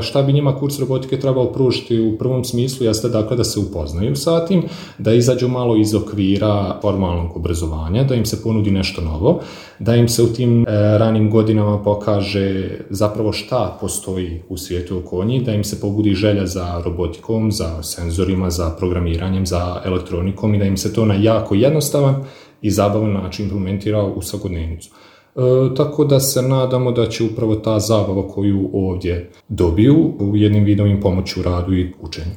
Šta bi njima kurs robotike trebao pružiti u prvom smislu jeste dakle da se upoznaju sa tim, da izađu malo iz okvira formalnog obrazovanja, da im se ponudi nešto novo, da im se u tim ranim godinama pokaže zapravo šta postoji u svijetu oko njih, da im se pobudi želja za robotikom, za senzorima, za programiranjem, za elektronikom i da im se to na jako jednostavan i zabavan način implementira u svakodnevnicu. Tako da se nadamo da će upravo ta zabava koju ovdje dobiju u jednim vidom im pomoći u radu i učenju.